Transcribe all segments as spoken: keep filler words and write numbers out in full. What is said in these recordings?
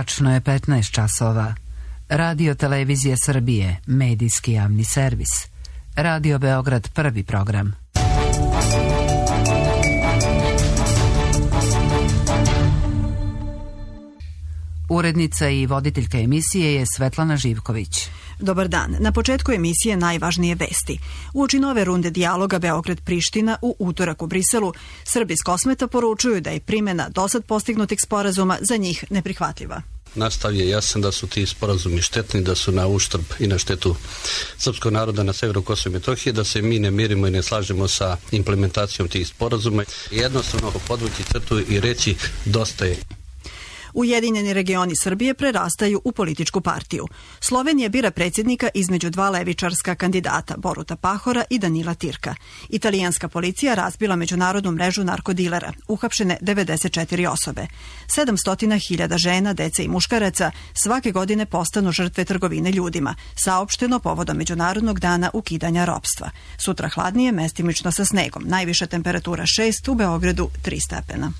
Tačno je petnaest časova. Radio Televizije Srbije, medijski javni servis. Radio Beograd, prvi program. Urednica i voditeljka emisije je Svetlana Živković. Dobar dan. Na početku emisije najvažnije vesti. Uoči nove runde dijaloga Beograd-Priština u utorak u Briselu, Srbi iz Kosmeta poručuju da je primjena dosad postignutih sporazuma za njih neprihvatljiva. Nastav je jasan da su ti sporazumi štetni, da su na uštrb i na štetu srpskog naroda na severu Kosova i Metohije, da se mi ne mirimo i ne slažemo sa implementacijom tih sporazuma. Jednostavno podvući crtu i reći dosta je. Ujedinjeni regioni Srbije prerastaju u političku partiju. Slovenija bira predsjednika između dva levičarska kandidata, Boruta Pahora i Danila Tirka. Italijanska policija razbila međunarodnu mrežu narkodilera, uhapšene devedeset četiri osobe. sedamsto hiljada žena, dece i muškaraca svake godine postanu žrtve trgovine ljudima, saopšteno povodom Međunarodnog dana ukidanja ropstva. Sutra hladnije, mestimično sa snegom. Najviša temperatura šest, u Beogradu tri stepena.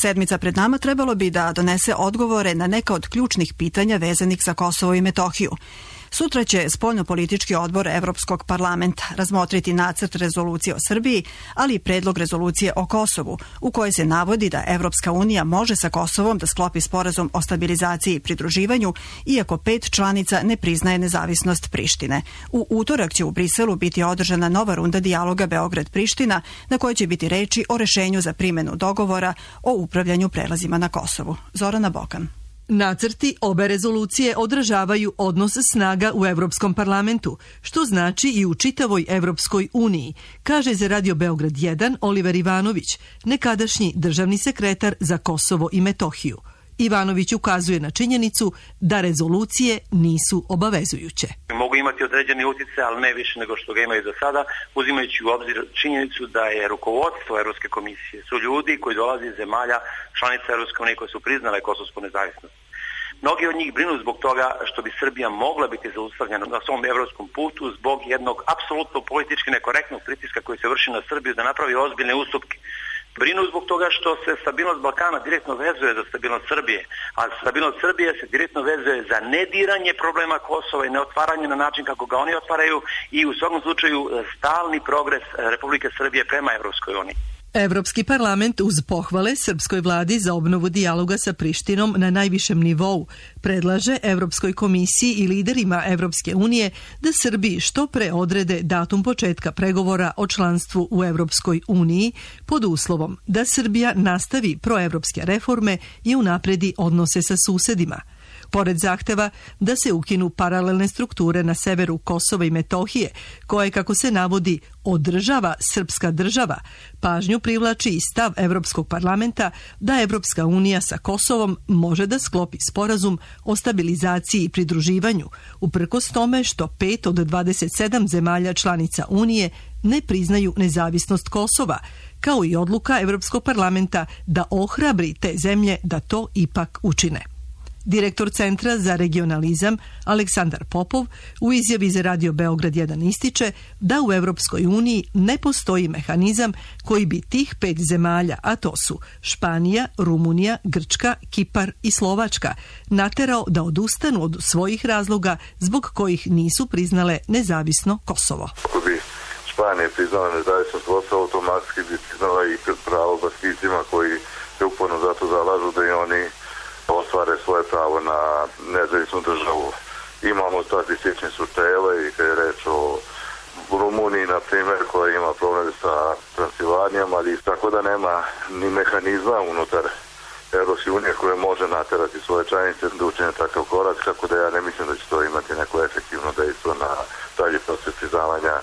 Sedmica pred nama trebalo bi da donese odgovore na neka od ključnih pitanja vezanih za Kosovo i Metohiju. Sutra će spoljnopolitički odbor Evropskog parlamenta razmotriti nacrt rezolucije o Srbiji, ali i predlog rezolucije o Kosovu, u kojoj se navodi da Evropska unija može sa Kosovom da sklopi sporazum o stabilizaciji i pridruživanju, iako pet članica ne priznaje nezavisnost Prištine. U utorak će u Briselu biti održana nova runda dijaloga Beograd-Priština, na kojoj će biti reči o rešenju za primjenu dogovora o upravljanju prelazima na Kosovu. Zorana Bokan. Nacrti obe rezolucije odražavaju odnos snaga u Evropskom parlamentu, što znači i u čitavoj Evropskoj uniji, kaže za Radio Beograd jedan Oliver Ivanović, nekadašnji državni sekretar za Kosovo i Metohiju. Ivanović ukazuje na činjenicu da rezolucije nisu obavezujuće. Mogu imati određeni utjecaj, ali ne više nego što ga imaju do sada, uzimajući u obzir činjenicu da je rukovodstvo Evropske komisije su ljudi koji dolaze iz zemalja članica Evropske unije koje su priznale kosovsku nezavisnost. Mnogi od njih brinu zbog toga što bi Srbija mogla biti zaustavljena na svom evropskom putu zbog jednog apsolutno politički nekorektnog pritiska koji se vrši na Srbiju da napravi ozbiljne ustupke. Brinu zbog toga što se stabilnost Balkana direktno vezuje za stabilnost Srbije, a stabilnost Srbije se direktno vezuje za nediranje problema Kosova i neotvaranje na način kako ga oni otvaraju i u svakom slučaju stalni progres Republike Srbije prema Evropskoj uniji. Evropski parlament uz pohvale srpskoj vladi za obnovu dijaloga sa Prištinom na najvišem nivou predlaže Evropskoj komisiji i liderima Evropske unije da Srbiji što pre odrede datum početka pregovora o članstvu u Evropskoj uniji pod uslovom da Srbija nastavi proevropske reforme i unapredi odnose sa susedima. Pored zahteva da se ukinu paralelne strukture na severu Kosova i Metohije, koje, kako se navodi, održava srpska država, pažnju privlači i stav Evropskog parlamenta da Evropska unija sa Kosovom može da sklopi sporazum o stabilizaciji i pridruživanju, uprkos tome što pet od dvadeset sedam zemalja članica Unije ne priznaju nezavisnost Kosova, kao i odluka Evropskog parlamenta da ohrabri te zemlje da to ipak učine. Direktor Centra za regionalizam Aleksandar Popov u izjavi za Radio Beograd jedan ističe da u Evropskoj uniji ne postoji mehanizam koji bi tih pet zemalja, a to su Španija, Rumunija, Grčka, Kipar i Slovačka, naterao da odustanu od svojih razloga zbog kojih nisu priznale nezavisno Kosovo. Ako bi Španija priznala nezavisnost Kosova, automatski bi priznala i pravo Baskicima koji se uporno zato zalažu da i oni ostvare svoje pravo na nezavisnu državu. Imamo statistične slučajeve i kad je reč o Rumuniji, na primjer, koja ima problem sa Transilvanijom, ali tako da nema ni mehanizma unutar Evropske unije koje može naterati svoje članice da učine takav korak, tako da ja ne mislim da će to imati neko efektivno dejstvo na dalji proces priznavanja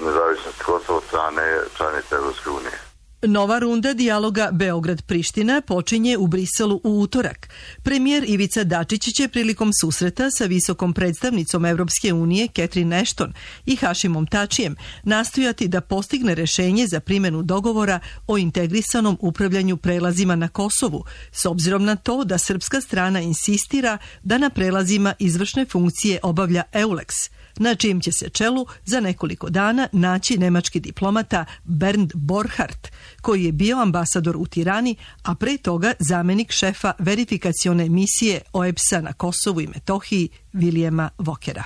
nezavisnosti Kosova od strane članice Evropske unije. Nova runda dijaloga Beograd-Priština počinje u Briselu u utorak. Premijer Ivica Dačić će prilikom susreta sa visokom predstavnicom Evropske unije Catherine Ashton i Hašimom Tačijem nastojati da postigne rešenje za primjenu dogovora o integrisanom upravljanju prelazima na Kosovu, s obzirom na to da srpska strana insistira da na prelazima izvršne funkcije obavlja EULEX, na čijem će se čelu za nekoliko dana naći nemački diplomata Bernd Borchardt, koji je bio ambasador u Tirani, a pre toga zamenik šefa verifikacione misije O E B S-a na Kosovu i Metohiji Vilijema Vokera.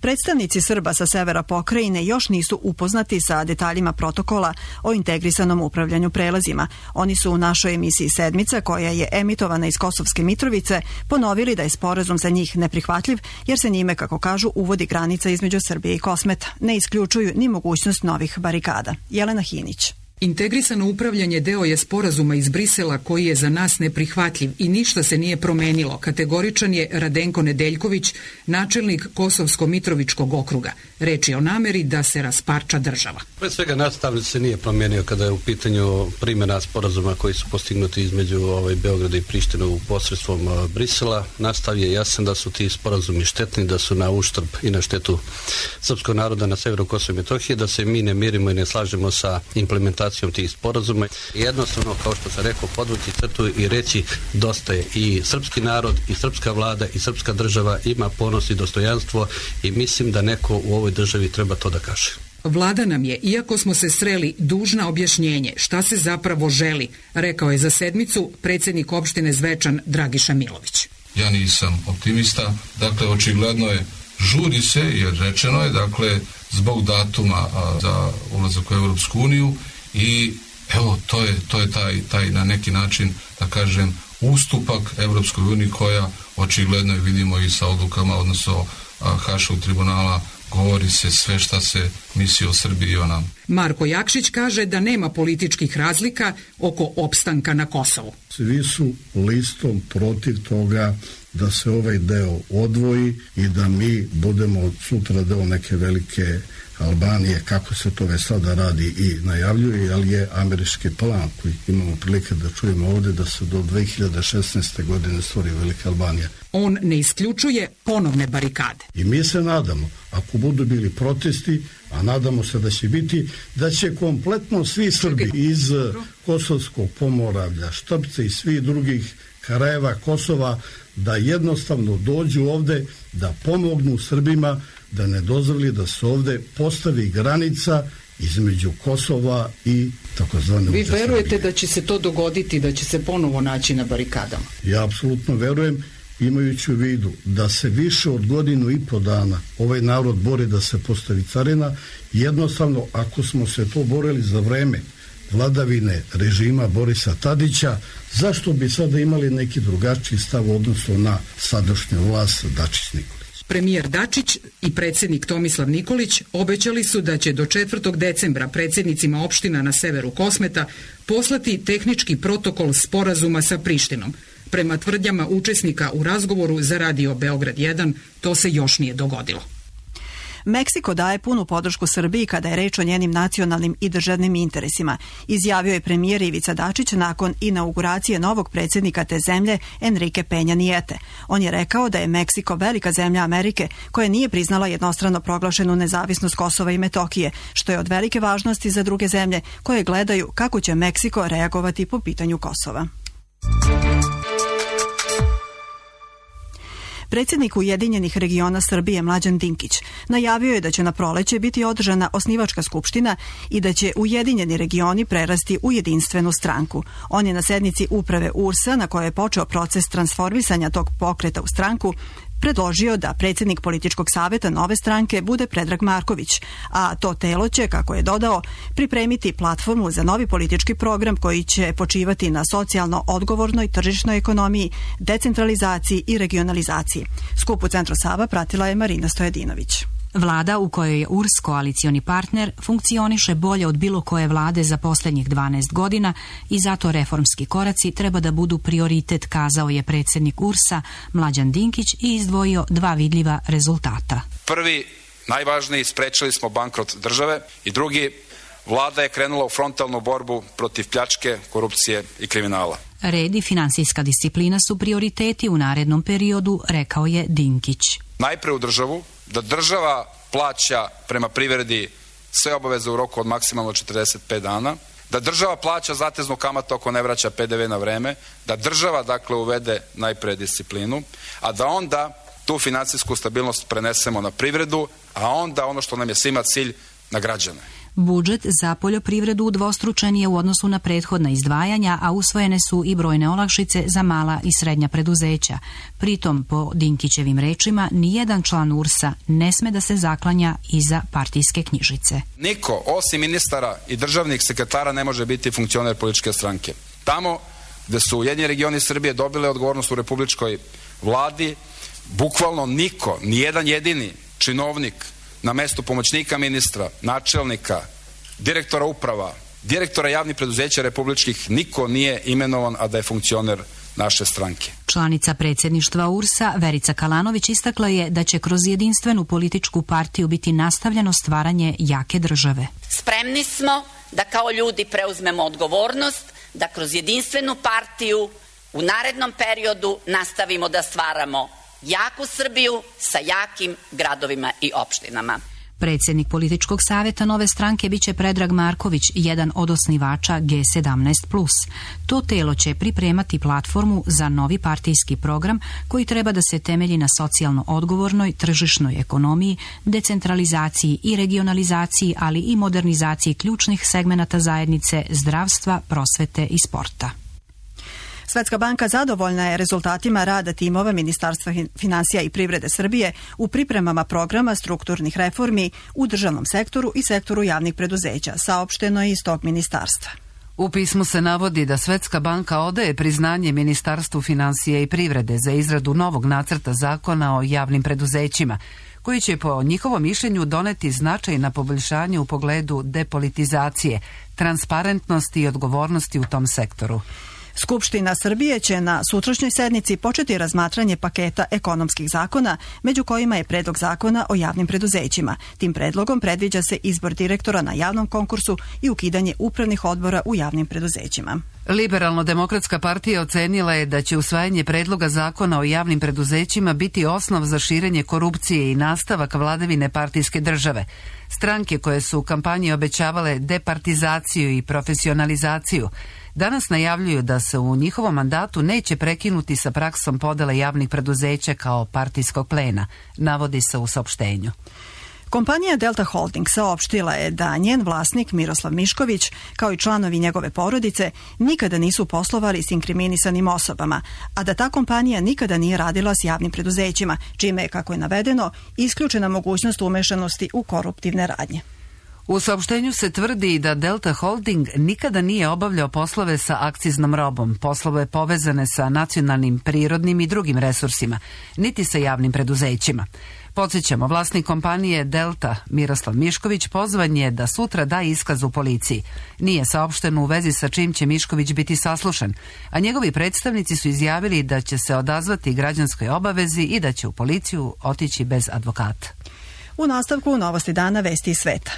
Predstavnici Srba sa severa pokrajine još nisu upoznati sa detaljima protokola o integrisanom upravljanju prelazima. Oni su u našoj emisiji Sedmica, koja je emitovana iz Kosovske Mitrovice, ponovili da je sporazum za njih neprihvatljiv, jer se njime, kako kažu, uvodi granica između Srbije i Kosmeta. Ne isključuju ni mogućnost novih barikada. Jelena Hinić. Integrisano upravljanje deo je sporazuma iz Brisela koji je za nas neprihvatljiv i ništa se nije promenilo. Kategoričan je Radenko Nedeljković, načelnik Kosovsko-Mitrovičkog okruga. Reč je o nameri da se rasparča država. Pre svega nastav se nije promenio kada je u pitanju primjena sporazuma koji su postignuti između ovaj, Beograda i Prištine u posredstvom Brisela. Nastav je jasan da su ti sporazumi štetni, da su na uštrb i na štetu srpskog naroda na severu Kosova i Metohije, da se mi ne mirimo i ne slažemo sa implementacijom tih sporazuma. Jednostavno, kao što sam rekao, podvući crtu i reći dosta je. I srpski narod, i srpska vlada, i srpska država ima ponos i dostojanstvo i mislim da neko u ovoj državi treba to da kaže. Vlada nam je, iako smo se sreli, dužna objašnjenje šta se zapravo želi, rekao je za Sedmicu predsjednik opštine Zvečan Dragiša Milović. Ja nisam optimista, dakle očigledno je, žuri se jer rečeno je, dakle zbog datuma a, za ulazak u Europsku uniju i evo to je, to je taj, taj na neki način, da kažem, ustupak Europskoj uniji koja očigledno vidimo i sa odlukama, odnosno Haškog tribunala, govori se sve šta se misli o Srbiji i o nama. Marko Jakšić kaže da nema političkih razlika oko opstanka na Kosovu. Svi su listom protiv toga da se ovaj deo odvoji i da mi budemo sutra deo neke velike Albanije, kako se to već sada radi i najavljuje, ali je američki plan koji imamo prilike da čujemo ovdje da se do dve hiljade šesnaeste. godine stvori velika Albanija. On ne isključuje ponovne barikade. I mi se nadamo, ako budu bili protesti, a nadamo se da će biti, da će kompletno svi Srbi iz Kosovskog Pomoravlja, Štrpce i svih drugih krajeva Kosova da jednostavno dođu ovde, da pomognu Srbima, da ne dozvoli da se ovde postavi granica između Kosova i takozvane Vi verujete Srbije. Da će se to dogoditi, da će se ponovo naći na barikadama? Ja apsolutno verujem, imajući u vidu da se više od godinu i po dana ovaj narod bori da se postavi carina. Jednostavno, ako smo se to borili za vreme vladavine režima Borisa Tadića, zašto bi sada imali neki drugačiji stav u odnosu na sadašnju vlast Dačić-Nikolić? Premijer Dačić i predsjednik Tomislav Nikolić obećali su da će do četvrtog decembra predsjednicima opština na severu Kosmeta poslati tehnički protokol sporazuma sa Prištinom. Prema tvrdnjama učesnika u razgovoru za radio Beograd jedan, to se još nije dogodilo. Meksiko daje punu podršku Srbiji kada je reč o njenim nacionalnim i državnim interesima, izjavio je premijer Ivica Dačić nakon inauguracije novog predsjednika te zemlje Enrique Peña Niete. On je rekao da je Meksiko velika zemlja Amerike koja nije priznala jednostrano proglašenu nezavisnost Kosova i Metohije, što je od velike važnosti za druge zemlje koje gledaju kako će Meksiko reagovati po pitanju Kosova. Predsjednik Ujedinjenih regiona Srbije Mlađan Dinkić najavio je da će na proleće biti održana osnivačka skupština i da će Ujedinjeni regioni prerasti u jedinstvenu stranku. On je na sednici uprave U R S-a, na kojoj je počeo proces transformisanja tog pokreta u stranku, predložio da predsjednik političkog saveta nove stranke bude Predrag Marković, a to telo će, kako je dodao, pripremiti platformu za novi politički program koji će počivati na socijalno odgovornoj tržišnoj ekonomiji, decentralizaciji i regionalizaciji. Skup u Centru Sava pratila je Marina Stojadinović. Vlada u kojoj je U R S koalicioni partner funkcioniše bolje od bilo koje vlade za posljednjih dvanaest godina i zato reformski koraci treba da budu prioritet, kazao je predsjednik U R S-a Mlađan Dinkić i izdvojio dva vidljiva rezultata. Prvi, najvažniji, sprečili smo bankrot države i drugi, vlada je krenula u frontalnu borbu protiv pljačke, korupcije i kriminala. Red i finansijska disciplina su prioriteti u narednom periodu, rekao je Dinkić. Najpre u državu, da država plaća prema privredi sve obaveze u roku od maksimalno četrdeset pet dana, da država plaća zateznu kamatu ako ne vraća P D V na vreme, da država dakle uvede najpre disciplinu, a da onda tu financijsku stabilnost prenesemo na privredu, a onda ono što nam je svima cilj, na građane. Budžet za poljoprivredu udvostručen je u odnosu na prethodna izdvajanja, a usvojene su i brojne olakšice za mala i srednja preduzeća. Pritom, po Dinkićevim rečima, nijedan član U R S-a ne sme da se zaklanja iza partijske knjižice. Niko, osim ministara i državnih sekretara, ne može biti funkcioner političke stranke. Tamo gde su Ujedinjeni regioni Srbije dobile odgovornost u republičkoj vladi, bukvalno niko, nijedan jedini činovnik na mestu pomoćnika ministra, načelnika, direktora uprava, direktora javnih preduzeća republičkih, niko nije imenovan, a da je funkcioner naše stranke. Članica predsjedništva U R S-a Verica Kalanović istakla je da će kroz jedinstvenu političku partiju biti nastavljeno stvaranje jake države. Spremni smo da kao ljudi preuzmemo odgovornost, da kroz jedinstvenu partiju u narednom periodu nastavimo da stvaramo jaku Srbiju sa jakim gradovima i opštinama. Predsjednik političkog savjeta Nove stranke biće Predrag Marković, jedan od osnivača G sedamnaest plus. To telo će pripremati platformu za novi partijski program koji treba da se temelji na socijalno odgovornoj tržišnoj ekonomiji, decentralizaciji i regionalizaciji, ali i modernizaciji ključnih segmenata zajednice, zdravstva, prosvete i sporta. Svetska banka zadovoljna je rezultatima rada timova Ministarstva finansija i privrede Srbije u pripremama programa strukturnih reformi u državnom sektoru i sektoru javnih preduzeća, saopšteno je iz tog ministarstva. U pismu se navodi da Svetska banka odaje priznanje Ministarstvu finansija i privrede za izradu novog nacrta zakona o javnim preduzećima, koji će po njihovom mišljenju doneti značajna poboljšanje u pogledu depolitizacije, transparentnosti i odgovornosti u tom sektoru. Skupština Srbije će na sutrašnjoj sednici početi razmatranje paketa ekonomskih zakona, među kojima je predlog zakona o javnim preduzećima. Tim predlogom predviđa se izbor direktora na javnom konkursu i ukidanje upravnih odbora u javnim preduzećima. Liberalno-demokratska partija ocenila je da će usvajanje predloga zakona o javnim preduzećima biti osnov za širenje korupcije i nastavak vladavine partijske države. Stranke koje su u kampanji obećavale departizaciju i profesionalizaciju danas najavljuju da se u njihovom mandatu neće prekinuti sa praksom podele javnih preduzeća kao partijskog plena, navodi se u saopštenju. Kompanija Delta Holding saopštila je da njen vlasnik Miroslav Mišković, kao i članovi njegove porodice, nikada nisu poslovali s inkriminisanim osobama, a da ta kompanija nikada nije radila s javnim preduzećima, čime je, kako je navedeno, isključena mogućnost umešanosti u koruptivne radnje. U saopštenju se tvrdi da Delta Holding nikada nije obavljao poslove sa akciznom robom, poslove povezane sa nacionalnim, prirodnim i drugim resursima, niti sa javnim preduzećima. Podsjećamo, vlasnik kompanije Delta, Miroslav Mišković, pozvan je da sutra da iskaz u policiji. Nije saopšteno u vezi sa čim će Mišković biti saslušan, a njegovi predstavnici su izjavili da će se odazvati građanskoj obavezi i da će u policiju otići bez advokata. U nastavku novosti dana, vesti iz sveta.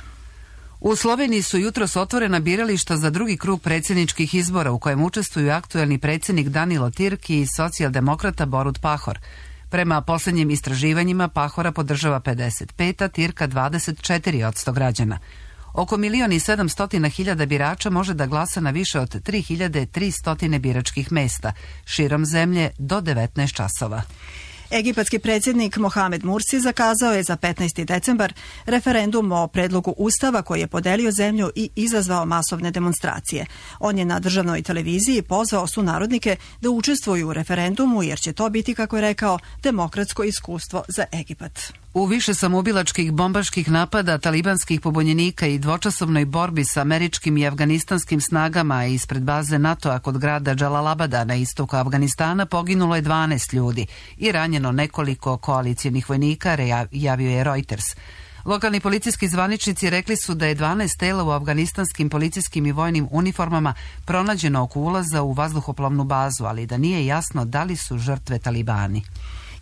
U Sloveniji su jutros otvorena birališta za drugi krug predsjedničkih izbora u kojem učestvuju aktuelni predsjednik Danilo Tirki i socijaldemokrata Borut Pahor. Prema posljednjim istraživanjima Pahora podržava pedeset pet, a Tirka dvadeset četiri posto građana. Oko milion i sedamstotina hiljada birača može da glasa na više od tri hiljade tristo biračkih mesta, širom zemlje do devetnaest časova. Egipatski predsjednik Mohamed Mursi zakazao je za petnaesti decembar referendum o predlogu ustava koji je podelio zemlju i izazvao masovne demonstracije. On je na državnoj televiziji pozvao sunarodnike da učestvuju u referendumu jer će to biti, kako je rekao, demokratsko iskustvo za Egipat. U više samoubilačkih bombaških napada talibanskih pobunjenika i dvočasovnoj borbi sa američkim i afganistanskim snagama ispred baze NATO-a kod grada Džalalabada na istoku Afganistana poginulo je dvanaest ljudi i ranjeno nekoliko koalicijonih vojnika, javio je Reuters. Lokalni policijski zvaničnici rekli su da je dvanaest tela u afganistanskim policijskim i vojnim uniformama pronađeno oko ulaza u vazduhoplovnu bazu, ali da nije jasno da li su žrtve talibani.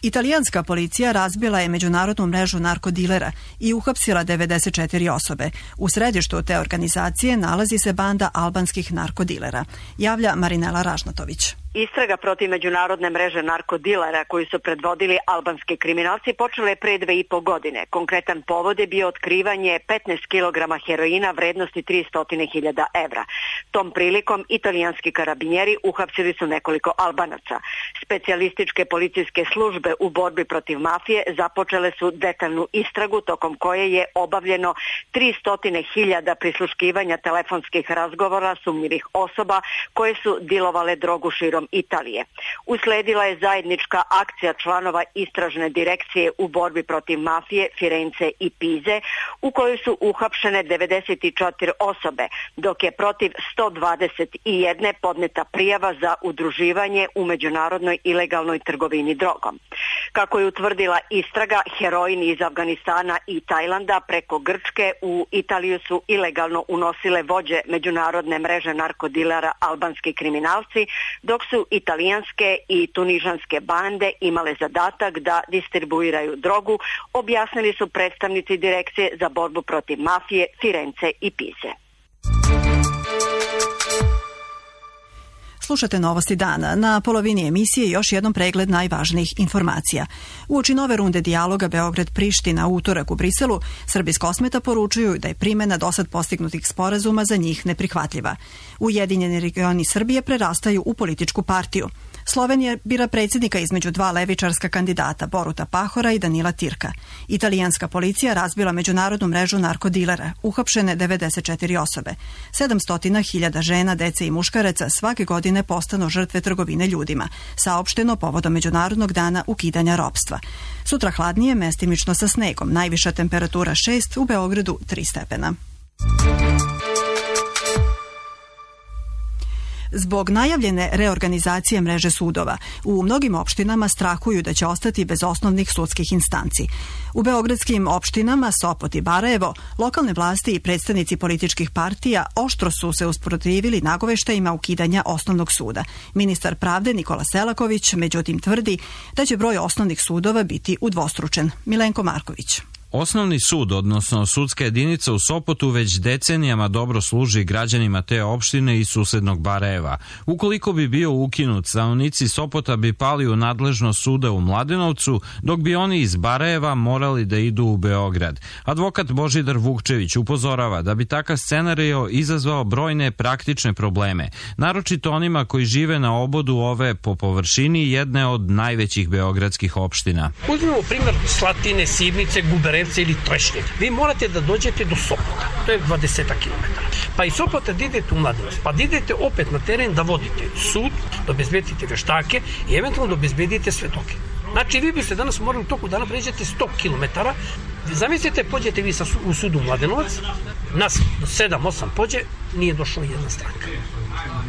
Italijanska policija razbila je međunarodnu mrežu narkodilera i uhapsila devedeset četiri osobe. U središtu te organizacije nalazi se banda albanskih narkodilera, javlja Marinela Ražnatović. Istraga protiv međunarodne mreže narkodilera koju su predvodili albanski kriminalci počela je pre dve i po godine. Konkretan povod je bio otkrivanje petnaest kilograma heroina vrednosti tristo hiljada evra. Tom prilikom italijanski karabinjeri uhapsili su nekoliko Albanaca. Specijalističke policijske službe u borbi protiv mafije započele su detaljnu istragu tokom koje je obavljeno tristo hiljada prisluškivanja telefonskih razgovora sumnjivih osoba koje su dilovale drogu širom Italije. Usledila je zajednička akcija članova istražne direkcije u borbi protiv mafije Firence i Pize, u kojoj su uhapšene devedeset četiri osobe, dok je protiv sto dvadeset jedne podneta prijava za udruživanje u međunarodnoj ilegalnoj trgovini drogom. Kako je utvrdila istraga, heroin iz Afganistana i Tajlanda preko Grčke u Italiju su ilegalno unosile vođe međunarodne mreže narkodilera albanski kriminalci, dok su italijanske i tunižanske bande imale zadatak da distribuiraju drogu, objasnili su predstavnici Direkcije za borbu protiv mafije Firence i Pize. Slušate Novosti dana. Na polovini emisije još jednom pregled najvažnijih informacija. Uoči nove runde dijaloga Beograd-Priština u utorak u Briselu, Srbi s Kosmeta poručuju da je primena dosad postignutih sporazuma za njih neprihvatljiva. Ujedinjeni regioni Srbije prerastaju u političku partiju. Slovenija bira predsjednika između dva levičarska kandidata, Boruta Pahora i Danila Tirka. Italijanska policija razbila međunarodnu mrežu narkodilera, uhapšene devedeset četiri osobe. sedamsto hiljada žena, dece i muškaraca svake godine postanu žrtve trgovine ljudima, saopšteno povodom Međunarodnog dana ukidanja ropstva. Sutra hladnije, mestimično sa snegom, najviša temperatura šest, u Beogradu tri stepena. Zbog najavljene reorganizacije mreže sudova, u mnogim opštinama strahuju da će ostati bez osnovnih sudskih instanci. U beogradskim opštinama Sopot i Barajevo, lokalne vlasti i predstavnici političkih partija oštro su se usprotivili nagoveštajima ukidanja osnovnog suda. Ministar pravde Nikola Selaković međutim tvrdi da će broj osnovnih sudova biti udvostručen. Milenko Marković. Osnovni sud, odnosno sudska jedinica u Sopotu, već decenijama dobro služi građanima te opštine i susednog Barajeva. Ukoliko bi bio ukinut, stanovnici Sopota bi pali u nadležnost suda u Mladenovcu, dok bi oni iz Barajeva morali da idu u Beograd. Advokat Božidar Vukčević upozorava da bi takav scenario izazvao brojne praktične probleme, naročito onima koji žive na obodu ove po površini jedne od najvećih beogradskih opština. Uzmimo primjer Slatine, Sivnice, Gubere ili Trešnje. Vi morate da dođete do Sopota, to je dvadeset kilometara. Pa iz Sopota da idete u Mladenovac, pa da idete opet na teren da vodite sud, da obezbedite veštake i eventualno da obezbedite svedoke. Znači, vi biste danas morali u toku dana pređete sto kilometara. Zamislite, pođete vi sa, u sudu Mladenovac, nas sedam osam pođe, nije došla jedna stranka.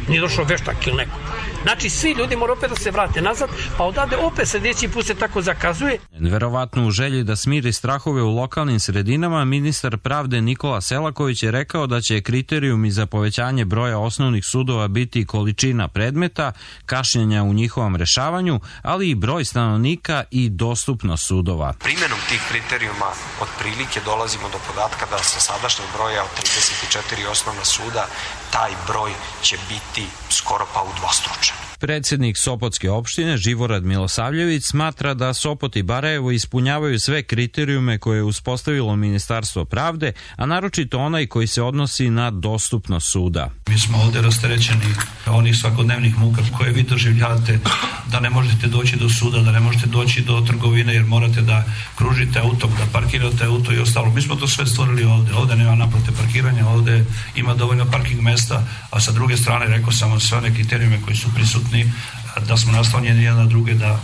Nije došao veštak ili neko. Znači, svi ljudi moraju opet da se vrate nazad, pa odade opet sljedeći put se tako zakazuje. Verovatno u želji da smiri strahove u lokalnim sredinama, ministar pravde Nikola Selaković je rekao da će kriterijumi za povećanje broja osnovnih sudova biti količina predmeta, kašnjenja u njihovom rešavanju, ali i broj stanovnika i dostupnost sudova. Primjenom tih kriterijuma otprilike dolazimo do podatka da sa sadašnjeg broja od trideset četiri osnovna suda taj broj će biti skoro pa udvostručen. Predsednik Sopotske opštine Živorad Milosavljević smatra da Sopot i Barajevo ispunjavaju sve kriterijume koje je uspostavilo Ministarstvo pravde, a naročito onaj koji se odnosi na dostupnost suda. Mi smo ovde rasterećeni onih svakodnevnih muka koje vi doživljavate, da ne možete doći do suda, da ne možete doći do trgovine jer morate da kružite auto, da parkirate auto i ostalo. Mi smo to sve stvorili ovde. Ovde nema naplate parkiranja, ovde ima dovoljno parking mesta, a sa druge strane rekao sam sve one kriterijume koji su prisutni, da smo naslonjeni jedna na druge, da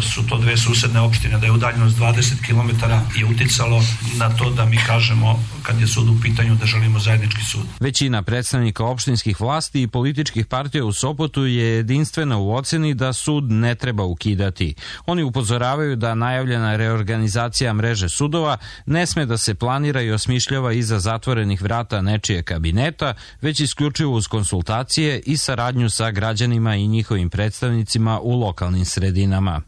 su to dve susedne opštine, da je udaljenost dvadeset kilometara i uticalo na to da mi kažemo, kad je sud u pitanju, da želimo zajednički sud. Većina predstavnika opštinskih vlasti i političkih partija u Sopotu je jedinstvena u oceni da sud ne treba ukidati. Oni upozoravaju da najavljena reorganizacija mreže sudova ne sme da se planira i osmišljava iza zatvorenih vrata nečije kabineta, već isključivo uz konsultacije i saradnju sa građanima i njihovim predstavnicima u lokalnim sredinama.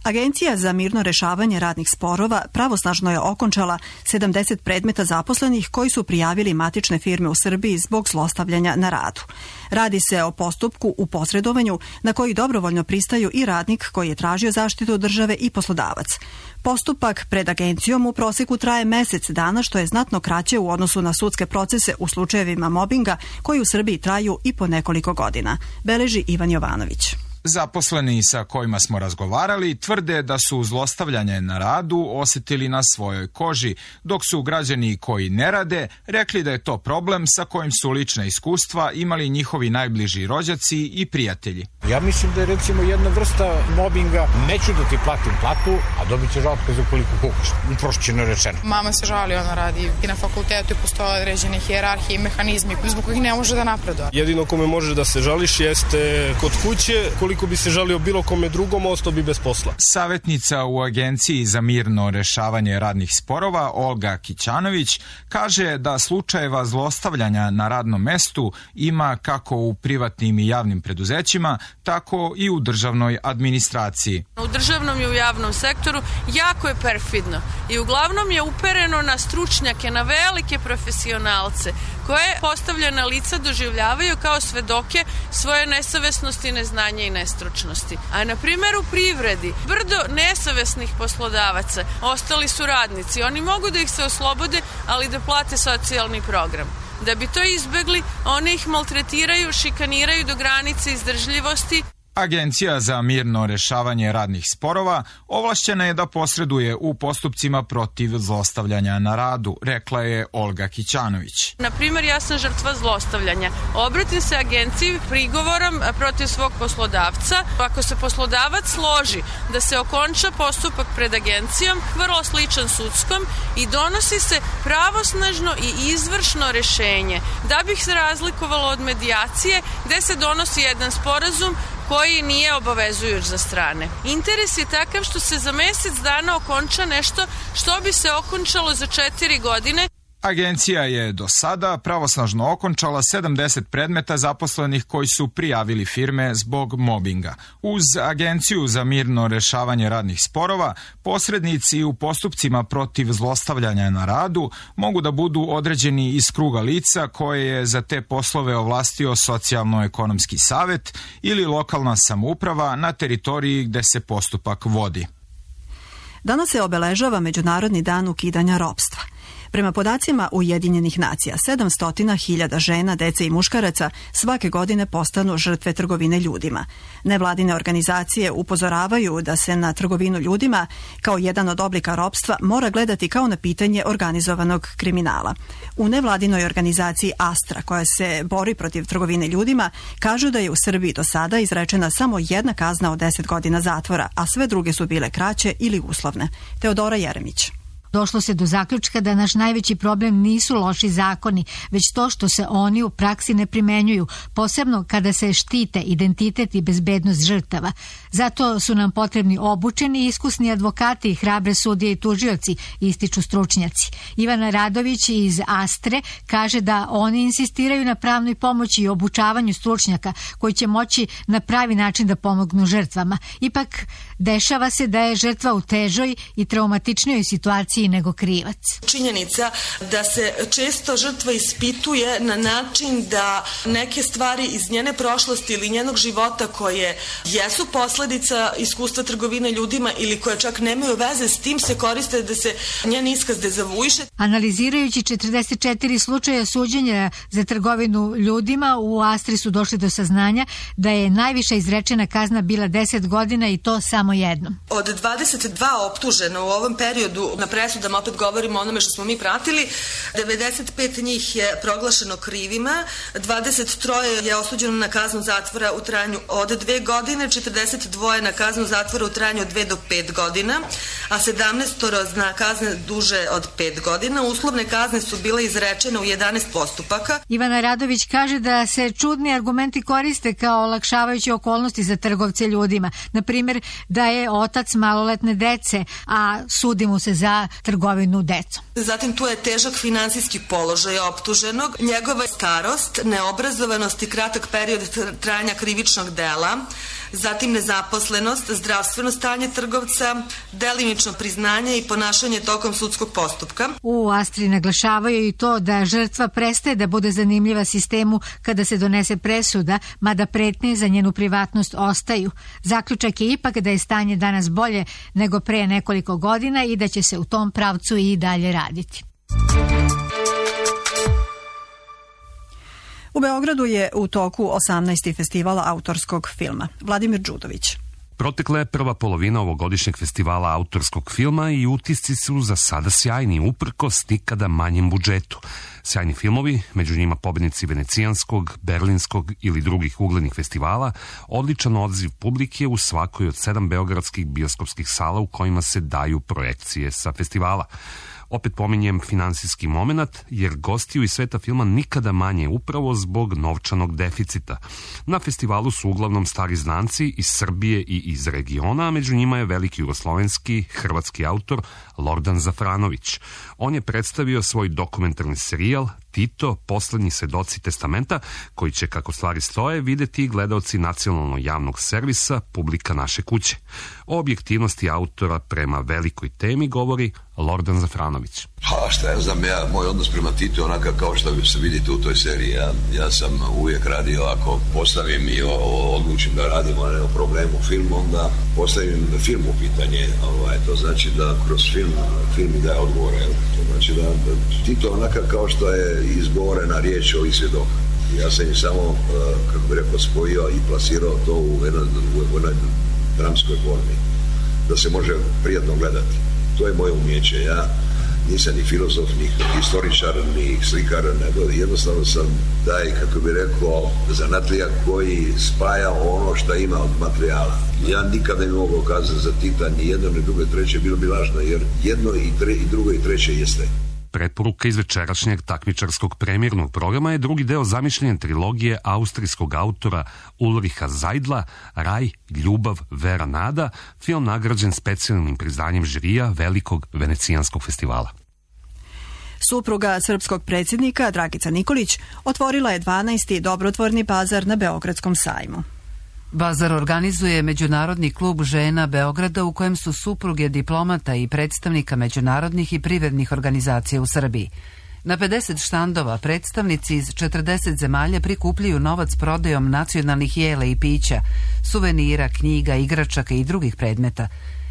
Agencija za mirno rešavanje radnih sporova pravosnažno je okončala sedamdeset predmeta zaposlenih koji su prijavili matične firme u Srbiji zbog zlostavljanja na radu. Radi se o postupku u posredovanju na koji dobrovoljno pristaju i radnik koji je tražio zaštitu od države i poslodavac. Postupak pred agencijom u proseku traje mesec dana, što je znatno kraće u odnosu na sudske procese u slučajevima mobinga koji u Srbiji traju i po nekoliko godina, beleži Ivan Jovanović. Zaposleni sa kojima smo razgovarali tvrde da su zlostavljanje na radu osjetili na svojoj koži, dok su građani koji ne rade rekli da je to problem sa kojim su lična iskustva imali njihovi najbliži rođaci i prijatelji. Ja mislim da je recimo jedna vrsta mobinga, neću da ti platim platu, a dobit ćeš otkaz ukoliko kukaš, uprošćeno rečeno. Mama se žali, ona radi i na fakultetu i postoje određene hijerarhije i mehanizmi zbog kojih ne može da napreduje. Jedino kome možeš da se žališ jeste kod kuće, koliko Ko bi se žalio bilo kome drugom, ostao bi bez posla. Savjetnica u Agenciji za mirno rešavanje radnih sporova Olga Kićanović kaže da slučajeva zlostavljanja na radnom mestu ima kako u privatnim i javnim preduzećima, tako i u državnoj administraciji. U državnom i u javnom sektoru jako je perfidno i uglavnom je upereno na stručnjake, na velike profesionalce koje postavljena lica doživljavaju kao svedoke svoje nesavesnosti, neznanja i nestručnosti. A na primjer u privredi, brdo nesavesnih poslodavaca ostali su radnici. Oni mogu da ih se oslobode, ali da plate socijalni program. Da bi to izbegli, oni ih maltretiraju, šikaniraju do granice izdržljivosti. Agencija za mirno rešavanje radnih sporova ovlašćena je da posreduje u postupcima protiv zlostavljanja na radu, rekla je Olga Kićanović. Na primjer, ja sam žrtva zlostavljanja. Obratim se agenciji prigovorom protiv svog poslodavca. Ako se poslodavac složi da se okonča postupak pred agencijom, vrlo sličan sudskom, i donosi se pravosnažno i izvršno rešenje, da bih se razlikovalo od medijacije gde se donosi jedan sporazum koji nije obavezujuć za strane. Interes je takav što se za mesec dana okonča nešto što bi se okončalo za četiri godine. Agencija je do sada pravosnažno okončala sedamdeset predmeta zaposlenih koji su prijavili firme zbog mobinga. Uz Agenciju za mirno rešavanje radnih sporova, posrednici u postupcima protiv zlostavljanja na radu mogu da budu određeni iz kruga lica koje je za te poslove ovlastio socijalno-ekonomski savet ili lokalna samouprava na teritoriji gde se postupak vodi. Danas se obeležava Međunarodni dan ukidanja ropstva. Prema podacima Ujedinjenih nacija, sedamsto hiljada žena, dece i muškaraca svake godine postanu žrtve trgovine ljudima. Nevladine organizacije upozoravaju da se na trgovinu ljudima kao jedan od oblika ropstva mora gledati kao na pitanje organizovanog kriminala. U nevladinoj organizaciji Astra, koja se bori protiv trgovine ljudima, kažu da je u Srbiji do sada izrečena samo jedna kazna od deset godina zatvora, a sve druge su bile kraće ili uslovne. Teodora Jeremić. Došlo se do zaključka da naš najveći problem nisu loši zakoni, već to što se oni u praksi ne primenjuju, posebno kada se štite identitet i bezbednost žrtava. Zato su nam potrebni obučeni i iskusni advokati, hrabre sudije i tužioci, ističu stručnjaci. Ivana Radović iz Astre kaže da oni insistiraju na pravnoj pomoći i obučavanju stručnjaka koji će moći na pravi način da pomognu žrtvama. Ipak, dešava se da je žrtva u težoj i traumatičnijoj situaciji nego krivac. Činjenica da se često žrtva ispituje na način da neke stvari iz njene prošlosti ili njenog života koje jesu posledica iskustva trgovine ljudima ili koje čak nemaju veze s tim se koriste da se njen iskaz dezavuiše. Analizirajući četrdeset četiri slučaja suđenja za trgovinu ljudima, u Astri su došli do saznanja da je najviša izrečena kazna bila deset godina i to samo jednom. Od dvadeset dva optužena u ovom periodu na presudama, opet govorimo o onome što smo mi pratili, devedeset pet njih je proglašeno krivima, dvadeset tri je osuđeno na kaznu zatvora u trajanju od dve godine, četrdeset dva na kaznu zatvora u trajanju od dve do pet godina, a sedamnaest na kazne duže od pet godina. Uslovne kazne su bile izrečene u jedanaest postupaka. Ivana Radović kaže da se čudni argumenti koriste kao olakšavajući okolnosti za trgovce ljudima. Na primjer, da je otac maloletne dece, a sudi mu se za trgovinu decom. Zatim tu je težak finansijski položaj optuženog, njegova starost, neobrazovanost i kratak period trajanja krivičnog dela, zatim nezaposlenost, zdravstveno stanje trgovca, delimično priznanje i ponašanje tokom sudskog postupka. U Astri naglašavaju i to da žrtva prestaje da bude zanimljiva sistemu kada se donese presuda, mada pretnje za njenu privatnost ostaju. Zaključak je ipak da je stanje danas bolje nego pre nekoliko godina i da će se u tom pravcu i dalje raditi. U Beogradu je u toku osamnaesti festivala autorskog filma. Vladimir Đudović. Protekla je prva polovina ovogodišnjeg festivala autorskog filma i utisci su za sada sjajni, uprkos nikada manjem budžetu. Sjajni filmovi, među njima pobednici Venecijanskog, Berlinskog ili drugih uglednih festivala, odličan odziv publike u svakoj od sedam beogradskih bioskopskih sala u kojima se daju projekcije sa festivala. Opet pominjem finansijski moment, jer gostiju iz sveta filma nikada manje upravo zbog novčanog deficita. Na festivalu su uglavnom stari znanci iz Srbije i iz regiona, a među njima je veliki jugoslovenski, hrvatski autor Lordan Zafranović. On je predstavio svoj dokumentarni serijal Tito, poslednji svedoci testamenta, koji će, kako stvari stoje, videti i gledaoci nacionalnog javnog servisa Publika naše kuće. O objektivnosti autora prema velikoj temi govori Lordan Zafranović. Ha, šta ja znam, ja, moj odnos prema Titu je onaka kao što se vidite u toj seriji. Ja, ja sam uvijek radio, ako postavim i o, o, odlučim da radimo o problemu filmu, onda postavim film u pitanje. Ovaj, to znači da kroz film, film mi daje odgovore. To znači da, da Tito je onaka kao što je izgovorena riječ ovih svjedoka. Ja sam im samo, kako bi rekao, spojio i plasirao to u jednoj, u jednoj dramskoj formi, da se može prijatno gledati. To je moje umjeće. Ja nisam ni filozof, ni historičar, ni slikar, nego jednostavno sam taj, kako bi rekao, zanatlija koji spaja ono što ima od materijala. Ja nikada ne mogu kazati za Tita ni jedno, ni drugo, i treće, bilo bi lažno, jer jedno i, tre, i drugo i treće jeste. Preporuka iz večerašnjeg takmičarskog premijernog programa je drugi deo zamišljene trilogije austrijskog autora Ulriha Zajdla, Raj, ljubav, vera, nada, film nagrađen specijalnim priznanjem žirija Velikog venecijanskog festivala. Supruga srpskog predsjednika Dragica Nikolić otvorila je dvanaesti dobrotvorni bazar na Beogradskom sajmu. Bazar organizuje Međunarodni klub žena Beograda, u kojem su supruge diplomata i predstavnika međunarodnih i privrednih organizacija u Srbiji. Na pedeset štandova predstavnici iz četrdeset zemalja prikupljaju novac prodajom nacionalnih jela i pića, suvenira, knjiga, igračaka i drugih predmeta.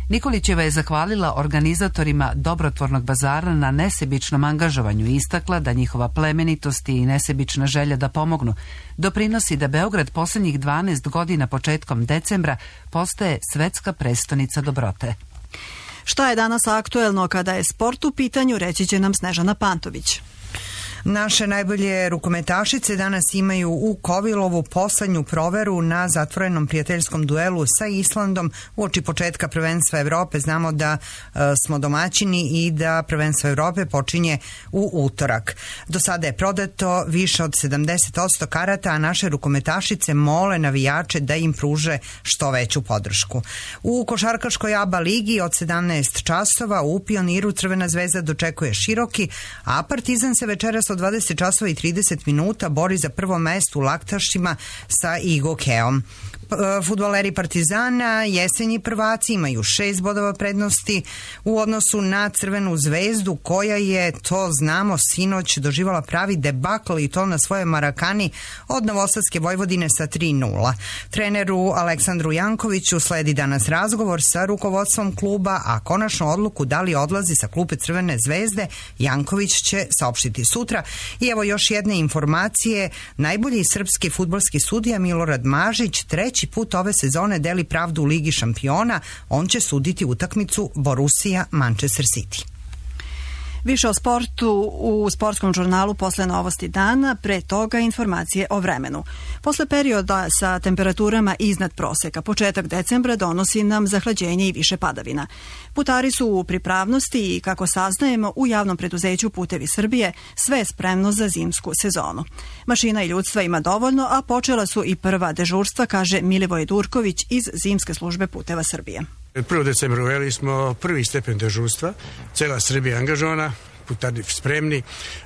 Nikolićeva je zahvalila organizatorima dobrotvornog bazara na nesebičnom angažovanju i istakla da njihova plemenitost i nesebična želja da pomognu doprinosi da Beograd poslednjih dvanaest godina početkom decembra postaje svetska prestonica dobrote. Šta je danas aktuelno kada je sport u pitanju, reći će nam Snežana Pantović. Naše najbolje rukometašice danas imaju u Kovilovu poslednju proveru na zatvorenom prijateljskom duelu sa Islandom uoči početka prvenstva Evrope. Znamo da e, smo domaćini i da prvenstvo Evrope počinje u utorak. Do sada je prodato više od sedamdeset posto karata, a naše rukometašice mole navijače da im pruže što veću podršku. U košarkaškoj A B A ligi od sedamnaest časova u Pioniru Crvena zvezda dočekuje Široki, a Partizan se večeras od dvadeset časova i trideset minuta bori za prvo mesto u laktašima sa Igokeom. Fudbaleri Partizana, jesenji prvaci, imaju šest bodova prednosti u odnosu na Crvenu zvezdu, koja je, to znamo, sinoć doživala pravi debakl i to na svojoj Marakani od Novosadske Vojvodine sa tri nula. Treneru Aleksandru Jankoviću sledi danas razgovor sa rukovodstvom kluba, a konačnu odluku da li odlazi sa klupe Crvene zvezde Janković će saopštiti sutra. I evo još jedne informacije. Najbolji srpski fudbalski sudija Milorad Mažić treći put ove sezone deli pravdu u Ligi šampiona. On će suditi utakmicu Borussia Manchester City. Više o sportu u sportskom žurnalu posle novosti dana, pre toga informacije o vremenu. Posle perioda sa temperaturama iznad proseka, početak decembra donosi nam zahlađenje i više padavina. Putari su u pripravnosti i, kako saznajemo, u javnom preduzeću Putevi Srbije sve je spremno za zimsku sezonu. Mašina i ljudstva ima dovoljno, a počela su i prva dežurstva, kaže Milivoj Durković iz Zimske službe Puteva Srbije. prvog decembra uveli smo prvi stepen dežurstva, cela Srbija angažovana, putarni spremni.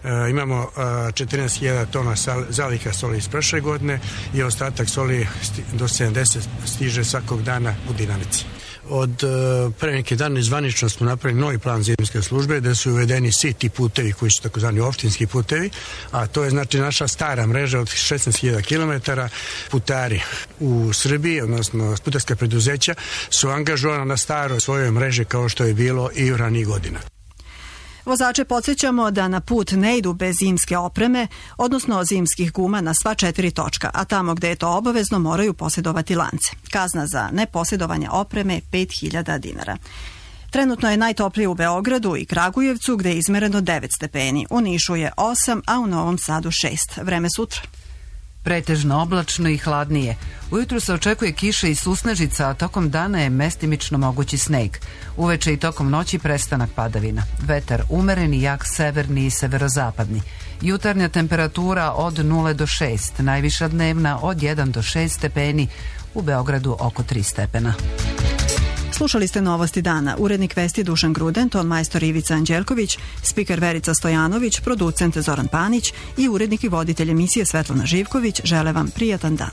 E, imamo četrnaest hiljada tona zaliha soli iz prošle godine i ostatak soli do sedamdeset stiže svakog dana u dinamici. Od uh, pre neki dan zvanično smo napravili novi plan zimske službe gde su uvedeni svi ti putevi koji su takozvani opštinski putevi, a to je znači naša stara mreža od šesnaest hiljada kilometara. Putari u Srbiji, odnosno putarska preduzeća, su angažovana na staroj svojoj mreži kao što je bilo i u ranijih godina. Vozače podsjećamo da na put ne idu bez zimske opreme, odnosno zimskih guma na sva četiri točka, a tamo gde je to obavezno moraju posjedovati lance. Kazna za neposjedovanje opreme pet hiljada dinara. Trenutno je najtoplije u Beogradu i Kragujevcu gde je izmereno devet stepeni, u Nišu je osam, a u Novom Sadu šest. Vreme sutra. Pretežno oblačno i hladnije. Ujutru se očekuje kiša i susnežica, a tokom dana je mestimično mogući sneg. Uveče i tokom noći prestanak padavina. Vetar umereni, jak severni i severozapadni. Jutarnja temperatura od nula do šest, najviša dnevna od jedan do šest stepeni, u Beogradu oko tri stepena. Slušali ste Novosti dana. Urednik vesti Dušan Gruden, ton majstor Ivica Anđelković, spiker Verica Stojanović, producent Zoran Panić i urednik i voditelj emisije Svetlana Živković žele vam prijatan dan.